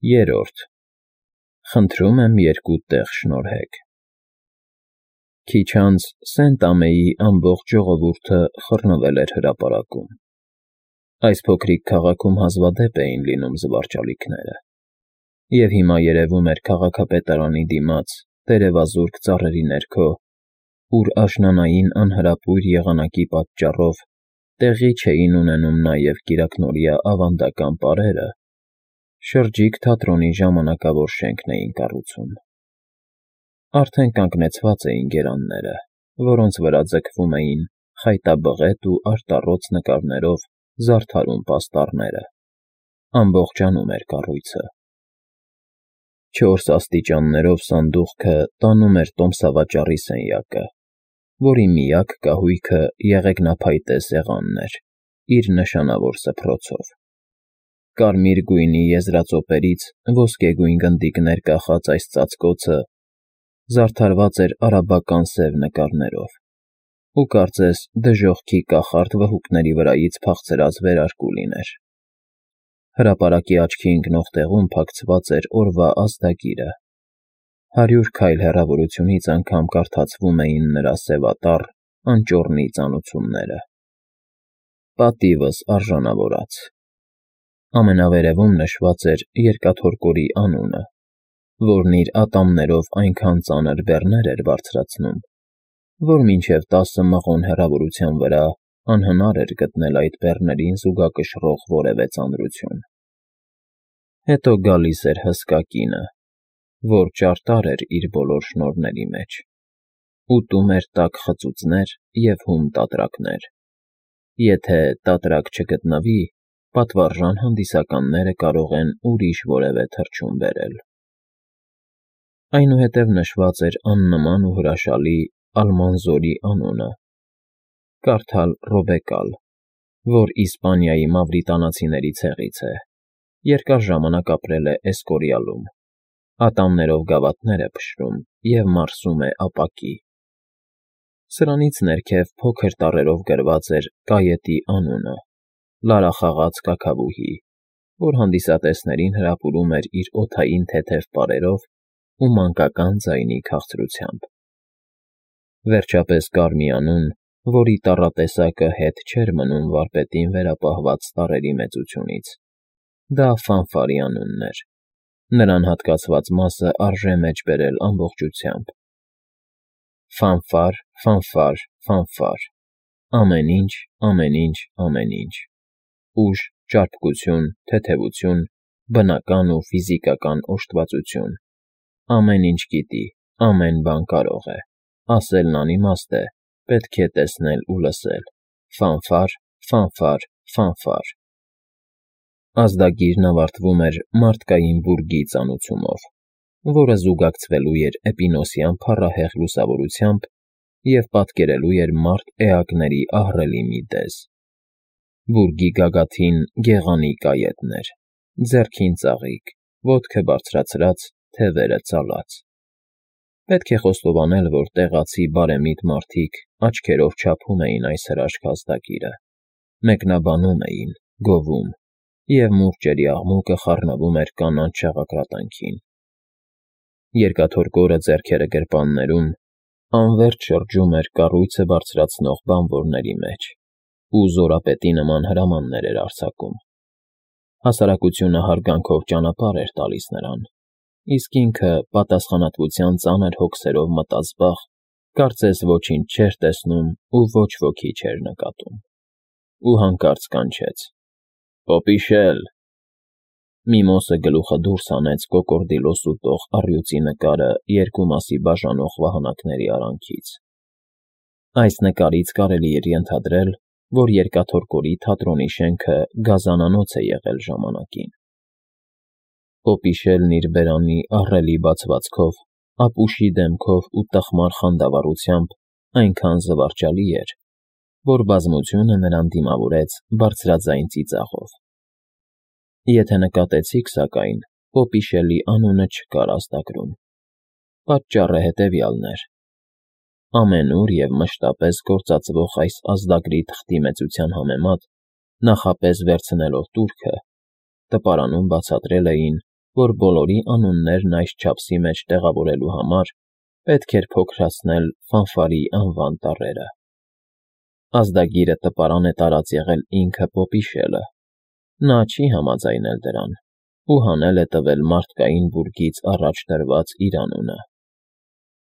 Երրորդ. Խնդրում եմ երկու տեղ շնորհեք։ Քիչ անց Սենտ-Ամեի ամբողջ ժողովուրդը խռնվել էր հրապարակում։ Այս փոքրիկ քաղաքում հազվադեպ էին լինում զվարճալիքները, և հիմա երևում էր քաղաքապետարանի դիմաց, տերևազուրկ ծառերի ներքո, ուր աշնանային անհրապույր եղանակի պատճառով տեղի չէին ունենում նաև կիրակնօրյա ավանդական պարերը, շրջիկ թատրոնի ժամանակավոր շենքն էին կառուցում։ Արդեն կանգնեցված էին գերանները, որոնց վրա ձգվում էին խայտաբղետ ու արտառոց նկարներով զարդարուն պաստառները, ամբողջանում էր կառույցը։ 4 աստիճաններով սանդուղքը տանում էր տոմսավաճառի սենյակը, որի միակ կահույքը եղեգնափայտե սեղանն էր, իր նշանավոր սփռոցով։ Կարմիր գույնի եզրածոպերից ոսկեգույն գնդիկներ կախած այս ծածկոցը զարդարված էր արաբական սև նկարներով ու կարծես դժոխքի կախարդ վհուկների վրայից փախցրած վերարկու լիներ։ Հրապարակի աչքի ընկնող տեղում փակցված էր օրվա ազդագիրը։ 100 քայլ հեռավորությունից անգամ կարդացվում էին նրա սևատառ, անճոռնի ծանուցումները։ Պատիվս արժանավորած։ Ամենավերևում նշված էր երկաթորկորի անունը, որն իր ատամներով այնքան ծանր բեռներ էր բարձրացնում, որ մինչև 10 մղոն հեռավորության վրա անհնար էր գտնել այդ բեռներին զուգակշռող որևէ ծանրություն։ Հետո գալիս էր հսկա կինը, որ ճարտար էր իր բոլոր շնորհների մեջ, ուտում էր տաք խծուծներ և հում տատրակներ։ Եթե տատրակ չգտնվի, պատվարժան հանդիսականները կարող են ուրիշ որևէ թռչուն բերել։ Այնուհետև նշված էր աննման ու հրաշալի Ալմանզորի անունը, կարդալ Ռոբեկալ, որ Իսպանիայի մավրիտանացիների ցեղից է, երկար ժամանակ ապրել է Էսկորիալում, ատամներով գավաթներ է փշրում և մարսում է ապակի։ Սրանից ներքև փոքր տառերով գրված էր կայետի անունը՝ լարախաղաց կաքավուհի, որ հանդիսատեսներին հրապուրում էր իր օդային թեթև պարերով ու մանկական ձայնի քաղցրությամբ։ Վերջապես կար մի անուն, որի տառատեսակը հետ չէր մնում վարպետին վերապահված տառերի մեծությունից։ Դա Ֆանֆարի անունն էր։ Նրան հատկացված մասը արժե մեջ բերել ամբողջությամբ։ Ֆանֆար, ֆանֆար, ֆանֆար, ամեն ինչ, ամեն ինչ, ամեն ինչ, ուժ, ճարպկություն, թեթևություն, բնական ու ֆիզիկական օժտվածություն, ամեն ինչ գիտի, ամեն բան կարող է, ասելն անիմաստ է, պետք է տեսնել ու լսել, ֆանֆար, ֆանֆար, ֆանֆար։ Ազդագիրն ավարտվում էր մարդկային բուրգի ծանուցումով, որը զուգակցվելու էր էպինոսյան փառահեղ լուսավորությամբ և պատկերելու էր մարդ էակների ահռելի մի դեզ։ Բուրգի գագաթին գեղանի կայետն էր, ձեռքին ծաղիկ, ոտքը բարձրացրած, թևերը ծալած։ Պետք է խոստովանել, որ տեղացի բարեմիտ մարդիկ աչքերով չափում էին այս հրաշք ազդագիրը, մեկնաբանում էին, գովում, և մուրճերի աղմուկը խառնվում էր կանաչ շաղակրատանքին։ Երկաթորկորը ձեռքերը գրպաններում անվերջ շրջում էր կառույցը բարձրացնող բանվորների մեջ ու զորապետի նման հրամաններ էր արձակում։ Հասարակությունը հարգանքով ճանապարհ էր տալիս նրան, իսկ ինքը պատասխանատվության ծանր հոգսերով մտազբաղ, կարծես ոչինչ չէր տեսնում ու ոչ ոքի չէր նկատում։ Ու հանկարծ կանչեց. «Պոպիշել»։ Միմոսը գլուխը դուրս հանեց կոկորդիլոս ուտող առյուծի նկարը երկու մասի բաժանող վահանակների արանքից։ Այս նկարից կարելի էր ենթադրել, որ երկաթորկորի թատրոնի շենքը գազանանոց է եղել ժամանակին։ Պոպիշելն իր բերանի ահռելի բացվածքով, ապուշի դեմքով ու տխմար խանդավառությամբ այնքան զվարճալի էր, որ բազմությունը նրան դիմավորեց բարձրաձայն ծիծաղով։ Եթե նկատեցիք, սակայն, Պոպիշելի անունը չկար ազդագրում։ Պատճառը հետևյալն էր. ամենուր և մշտապես գործածվող այս ազդագրի թղթի մեծության համեմատ, նախապես վերցնելով տուրքը, տպարանում բացատրել էին, որ բոլորի անուններն այս չափսի մեջ տեղավորելու համար պետք էր փոքրացնել ֆանֆարի անվան տառերը։ Ազդագիրը տպարան է տարած եղել ինքը Պոպիշելը։ Նա չի համաձայնել դրան ու հանել է տվել մարդկային բուրգից առաջ դրված իր անունը։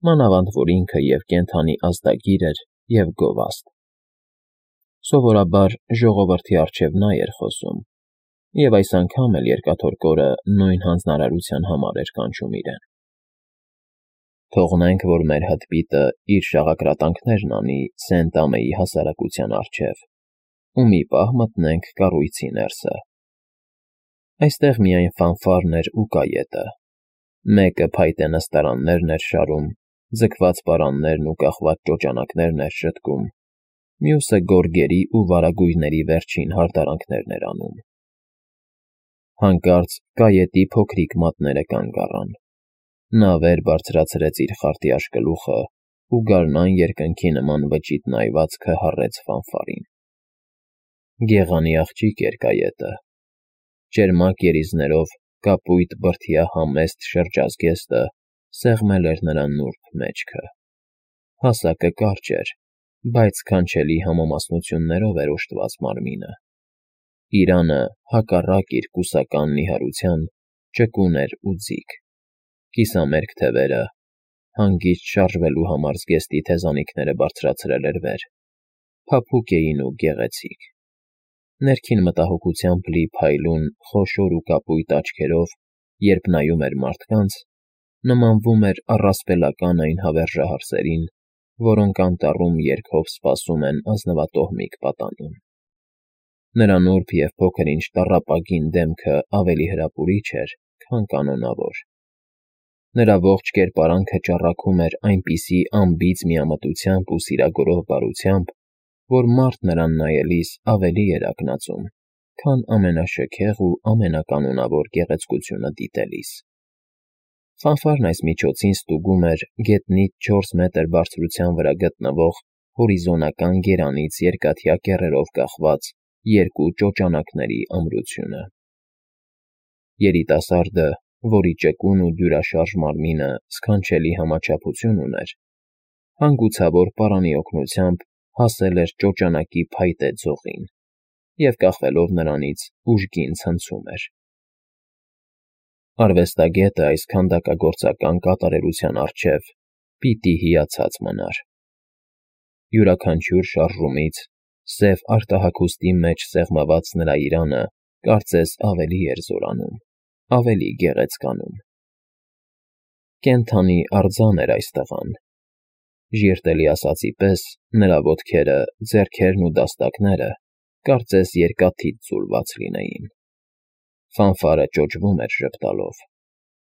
Մանավանդ որ ինքը և կենդանի ազդագիր էր, և գովաստ։ Սովորաբար ժողովրդի առջև նա էր խոսում, և այս անգամ էլ Երկաթորկորը նույն հանձնարարության համար էր կանչում իրեն։ Թողնենք, որ մեր հտպիտը իր շաղակրատանքներն անի Սենտ-Ամեի հասարակության առջև, ու մի պահ մտնենք կառույցի ներսը։ Այստեղ միայն ֆանֆարն էր ու կայետը։ Մեկը փայտե նստարաններն էր շարում, ձգված պարաններն ու կախված ճոճանակներն էր շտկում, մյուսը գորգերի ու վարագույրների վերջին հարդարանքներն էր անում։ Հանկարծ կայետի փոքրիկ մատները կանգ առան։ Նա վեր բարձրացրեց իր խարտի աշկլուխը ու գարնան երկնքի նման վճիտ նայվածքը հառեց ֆանֆարին։ Գեղանի աղջիկ էր կայետը։ Ճերմակ երիզներով կապույտ բրդյա համեստ շրջազգեստը սեղմել էր նրա նուրբ մեջքը։ Հասակը կարճ էր, բայց քանչելի համամասնություններով էր օժտված մարմինը։ Իրանը, հակառակ իր կուսական նիհարության, ճկուն էր ու ձիգ։ Կիսամերկ թևերը, հանգիստ շարժվելու համար զգեստի թեզանիքները բարձրացրել էր վեր, փափուկ էին ու գեղեցիկ։ Ներքին մտահոգությամբ լի փայլուն, խոշոր ու կապույտ աչքերով, երբ նայում էր մարդկանց, նմանվում էր առասպելական այն հավերժահարսերին, որոնք անտառում երգով սպասում են ազնվատոհմիկ պատանուն։ Նրա նուրբ և փոքր-ինչ տառապագին դեմքը ավելի հրապուրիչ էր, քան կանոնավոր։ Նրա ողջ կերպարանքը ճառագում էր այնպիսի անբիծ միամտությամբ ու սիրագորով բարությամբ, որ մարդ նրան նայելիս ավելի էր ակնածում, քան ամենաշքեղ ու ամենականոնավոր գեղեցկությունը դիտելիս։ Ֆանֆարն այս միջոցին ստուգում էր գետնից 4 մետր բարձրության վրա գտնվող հորիզոնական գերանից երկաթյա կեռերով կախված երկու ճոճանակների ամրությունը։ Երիտասարդը, որի ճկուն ու դյուրաշարժ մարմինը սքանչելի համաչափություն ուներ, հանգուցավոր պարանի օգնությամբ հասել էր ճոճանակի փայտե ձողին և, կախվելով նրանից, ուժգին ցնցում էր։ Արվեստագետը այս քանդակագործական կատարելության առջև պիտի հիացած մնար։ Յուրաքանչյուր շարժումից սև արտահագուստի մեջ սեղմված նրա իրանը կարծես ավելի էր զորանում, ավելի գեղեցկանում։ Կենդանի արձան էր այս տղան։ Ժիրտելի ասածի պես նրա ոտքերը, ձեռքերն ու դաստակները կարծես երկաթից ձուլված լինեին։ Ֆանֆարը ճոճվում էր ժպտալով,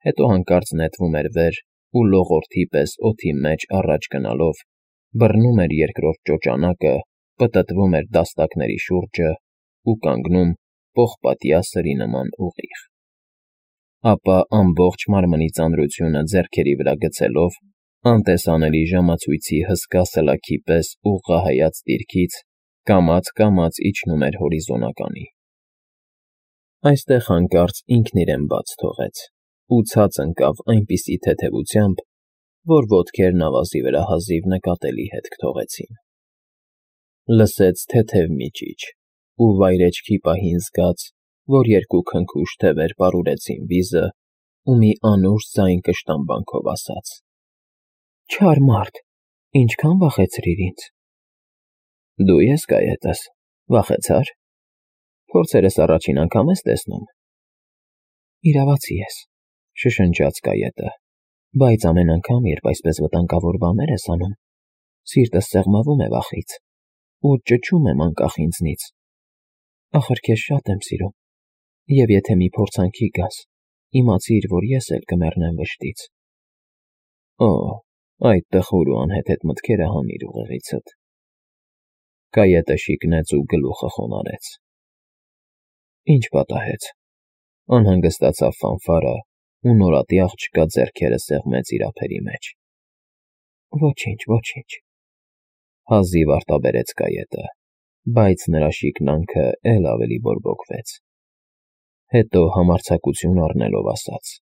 հետո հանկարծ նետվում էր վեր ու լողորդի պես օդի մեջ առաջ գնալով բռնում էր երկրորդ ճոճանակը, պտտվում էր դաստակների շուրջը ու կանգնում պողպատյա սրի նման ուղիղ։ Ապա ամբողջ մարմնի ծանրությունը ձեռքերի վրա գցելով, անտեսանելի ժամացույցի հսկա սլաքի պես ուղղահայաց դիրքից կամաց իջնում էր հորիզոնականի։ Այստեղ հանկարծ ինքն իրեն բաց թողեց ու ցած ընկավ այնպիսի թեթևությամբ, որ ոտքերն ավազի վրա հազիվ նկատելի հետք թողեցին։ Լսեց թեթև միջիչ ու վայրէջքի պահին զգաց, որ երկու քնքուշ թևեր պարուրեցին վիզը ու մի անուշ ձայն կշտամբանքով ասաց. «Չար մարդ, ինչքան վախեցրիր ինձ»։ Դու ես կայետս, վախեցա՞ր։ Փորձերս առաջին անգամ ես տեսնում։ Իրավացի ես, շշնջաց կայետը, բայց ամեն անգամ, երբ այսպես վտանգավոր բաներ ես անում, սիրտս սեղմվում է վախից ու ճչում եմ անկախ ինձնից։ Ախր քեզ շատ եմ սիրում, և եթե մի փորձանքի գաս, իմացիր, որ ես էլ կմեռնեմ վշտից։ Օ, այդ տխուր ու անհեթեթ մտքերը հանիր ուղեղիցդ։ Կայետը շիկնեց ու գլուխը խոնարհեց։ Ինչ պատահեց։ Անհանգստացավ Ֆանֆարը ու նորատի աղջկա ձեռքերը սեղմեց իր ափերի մեջ։ Ոչինչ, ոչինչ, հազիվ արտաբերեց կայետը, բայց նրա շիկնանքը էլ ավելի բորբոքվեց։ Հետո համարձակություն առնելով ասաց.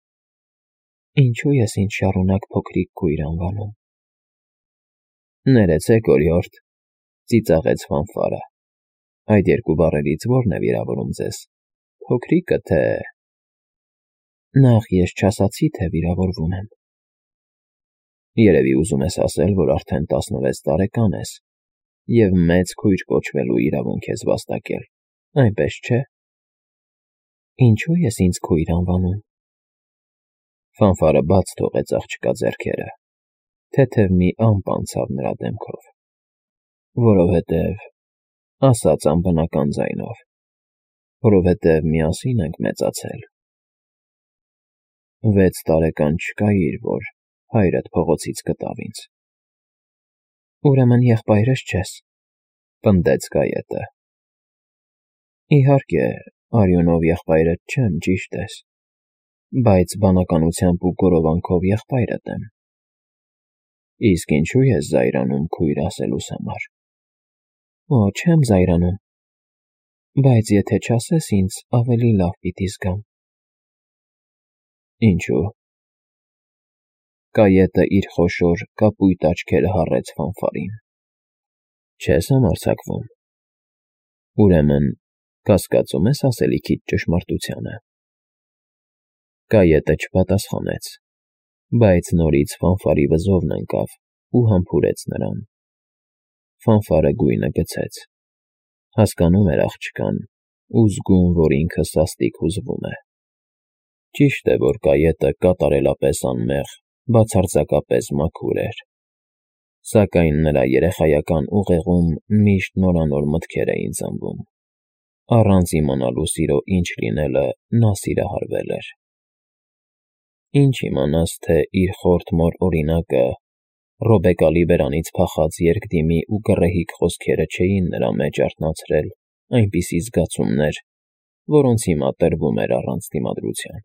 Ինչու ես ինձ շարունակ փոքրիկ կույր անվանում։ Ներեցեք, օրիորդ, ծիծաղեց Ֆանֆարը։ Այդ երկու բառերից ո՞րն է վիրավորում ձեզ, փոքրիկը թե… Նախ ես չասացի, թե վիրավորվում եմ։ Երևի ուզում ես ասել, որ արդեն 16 տարեկան ես և մեծ քույր կոչվելու իրավունք ես վաստակել, այնպես չէ։ Ինչու ես ինձ քույր անվանում։ Ֆանֆարը բաց թողեց աղջկա ձեռքերը, թեթև մի ամպ անցավ նրա դեմքով։ Որովհետև, ասաց անբնական ձայնով, որովհետև միասին ենք մեծացել։ 6 տարեկան չկայիր, որ հայրդ փողոցից գտավ ինձ։ Ուրեմն եղբայրս չես, պնդեց Կայետը։ Իհարկե, արյունով եղբայրդ չեմ, ճիշտ ես, բայց բանականությամբ ու գորովանքով եղբայրդ եմ։ Իսկ ինչու ես զայրանում քույր ասելուս համար։ Օ, չեմ զայրանում, բայց եթե չասես ինձ, ավելի լավ պիտի զգամ։ Ինչու։ Կայետը իր խոշոր կապույտ աչքերը հառեց Ֆանֆարին։ Չես համարձակվում։ Ուրեմն, կասկածում ես ասելիքիդ ճշմարտությանը։ Կայետը չպատասխանեց, բայց նորից Ֆանֆարի վզովն ընկավ ու համբուրեց նրան։ Ֆանֆարը գույնը գցեց։ Հասկանում էր աղջկան ու զգում, որ ինքը սաստիկ հուզվում է։ Ճիշտ է, որ Կայետը կատարելապես անմեղ, բացարձակապես մաքուր էր, սակայն նրա երեխայական ուղեղում միշտ նորանոր մտքեր էին ծնվում։ Առանց իմանալու սիրո ինչ լինելը նա սիրահարվել էր։ Ինչ իմանաս, թե իր խորթ մոր օրինակը, Ռոբեկալի բերանից փախած երկդիմի ու գռեհիկ խոսքերը չէին նրա մեջ արթնացրել այնպիսի զգացումներ, որոնց հիմա տրվում էր առանց դիմադրության։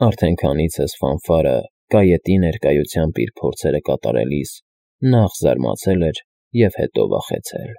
Արդեն քանիցս Ֆանֆարը Կայետի ներկայությամբ իր փորձերը կատարելիս նախ զարմացել էր և հետո վախեցել։